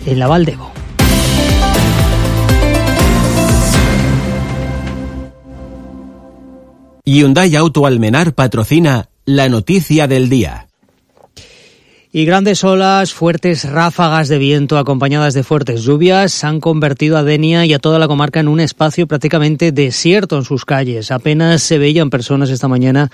en la Val d'Ebo. Hyundai Auto Almenar patrocina la noticia del día. Y grandes olas, fuertes ráfagas de viento acompañadas de fuertes lluvias han convertido a Denia y a toda la comarca en un espacio prácticamente desierto en sus calles. Apenas se veían personas esta mañana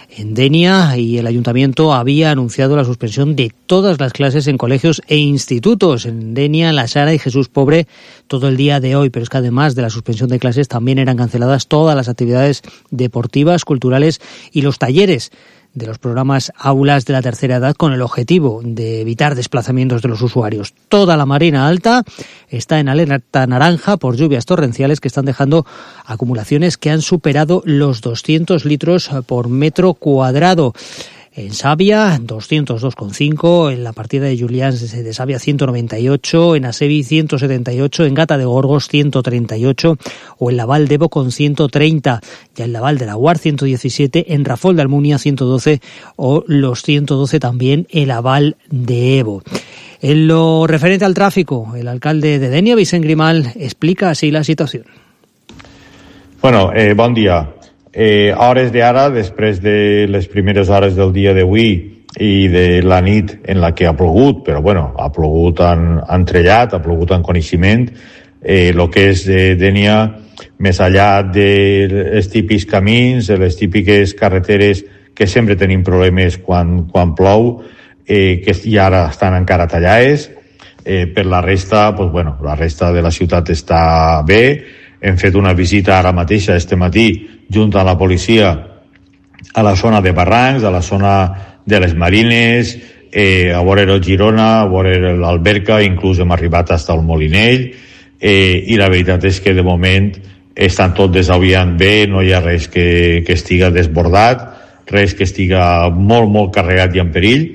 en Denia y el ayuntamiento había anunciado la suspensión de todas las clases en colegios e institutos. En Denia, La Sara y Jesús Pobre todo el día de hoy, pero es que además de la suspensión de clases también eran canceladas todas las actividades deportivas, culturales y los talleres de los programas Aulas de la Tercera Edad con el objetivo de evitar desplazamientos de los usuarios. Toda la Marina Alta está en alerta naranja por lluvias torrenciales que están dejando acumulaciones que han superado los 200 litros por metro cuadrado. En Savia, 202,5, en la partida de Julians de Savia, 198, en Asevi, 178, en Gata de Gorgos, 138, o en la Val d'Ebo con 130, ya en la Val de la Guar, 117, en Rafol de Almunia, 112, o los 112 también en la Val d'Ebo. En lo referente al tráfico, el alcalde de Denia, Vicent Grimal, explica así la situación. Bueno, bon dia. Hores d'ara, després de les primeres hores del dia d'avui i de la nit en la que ha plogut, però bueno, ha plogut entrellat, ha plogut en coneixement, el que és Denia, més enllà dels típics camins, de les típiques carreteres que sempre tenim problemes quan plou, que i ara estan encara tallades, per la resta, pues bueno, la resta de la ciutat està bé. Hem fet una visita ara mateixa, este matí, junt a la policia, a la zona de Barrancs, a la zona de les Marines, a veure el Girona, a veure l'Alberca, inclús hem arribat fins al Molinell, i la veritat és que de moment estan tot desaviant bé, no hi ha res que estiga desbordat, res que estiga molt, molt carregat i en perill,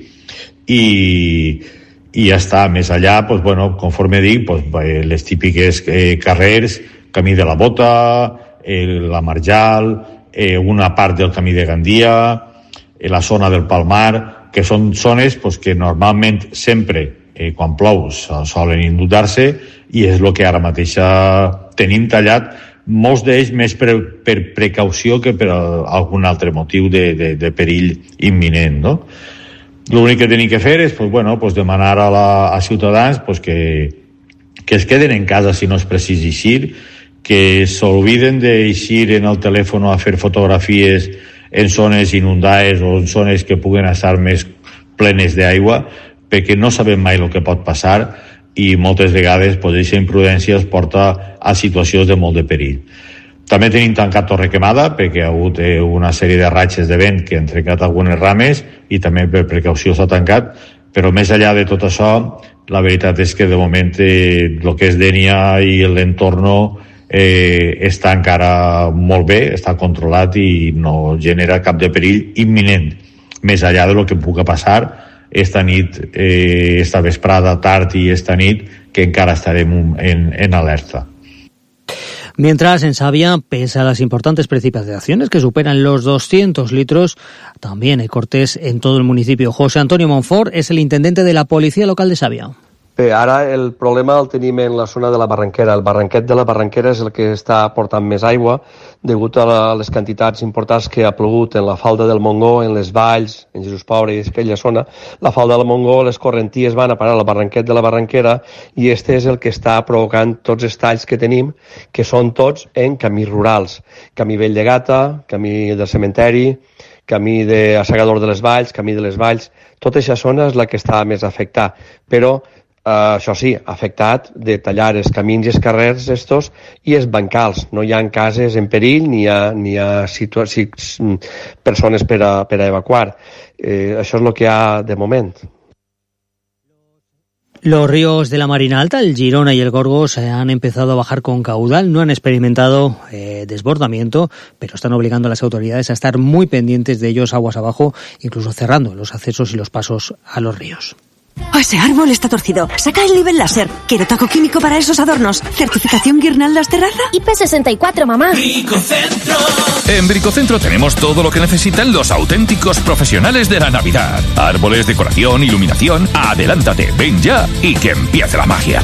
i ja està. Més allà, pues, bueno, conforme dic, pues, les típiques carrers, Camí de la Bota, la Marjal, una part del Camí de Gandia, la zona del Palmar, que són zones pues, que normalment sempre, quan plou, solen inundar-se, i és el que ara mateix tenim tallat, molts d'ells més per precaució que per algun altre motiu de perill imminent, no? L'únic que tenim que fer és pues, bueno, pues, demanar a ciutadans pues, que es queden en casa si no és precís eixir, que s'olviden d'eixir en el telèfon a fer fotografies en zones inundades o en zones que puguen estar més plenes d'aigua, perquè no sabem mai el que pot passar i moltes vegades aquesta imprudència es porta a situacions de molt de perill. També tenim tancat Torrequemada perquè ha hagut una sèrie de ratxes de vent que han trencat algunes rames i també per precaució s'ha tancat, però més enllà de tot això, la veritat és que de moment el que és Denia i l'entorn està encara molt bé, està controlat i no genera cap de perill imminent, més enllà de lo que pugui passar esta nit, esta vesprada, tard i esta nit, que encara estarem en alerta. Mientras en Savia, pese a las importantes precipitaciones que superan los 200 litros, también hay cortes en todo el municipio. José Antonio Monfort es el intendente de la Policía Local de Savia. Bé, ara el problema el tenim en la zona de la Barranquera. El barranquet de la Barranquera és el que està portant més aigua degut a les quantitats importants que ha plogut en la falda del Montgó, en les valls, en Jesús Pobre i aquella zona. La falda del Montgó, les correnties van a parar al barranquet de la Barranquera i este és el que està provocant tots els talls que tenim, que són tots en camins rurals. Camí Vell de Gata, camí del cementeri, camí de Assegador de les Valls, camí de les Valls. Tota aquesta zona és la que està més afectada, però això sí, ha afectat de tallar els camins i els carrers estos i els bancals. No hi ha cases en perill ni hi ha persones per a evacuar. Això és el que hi ha de moment. Los ríos de la Marina Alta, el Girona y el Gorgos, han empezado a bajar con caudal. No han experimentado desbordamiento, pero están obligando a las autoridades a estar muy pendientes de ellos aguas abajo, incluso cerrando los accesos y los pasos a los ríos. Ese árbol está torcido. Saca el nivel láser. Quiero taco químico para esos adornos. ¿Certificación Guirnaldas Terraza? IP64, mamá. Bricocentro. En Bricocentro tenemos todo lo que necesitan los auténticos profesionales de la Navidad. Árboles, decoración, iluminación. Adelántate, ven ya y que empiece la magia.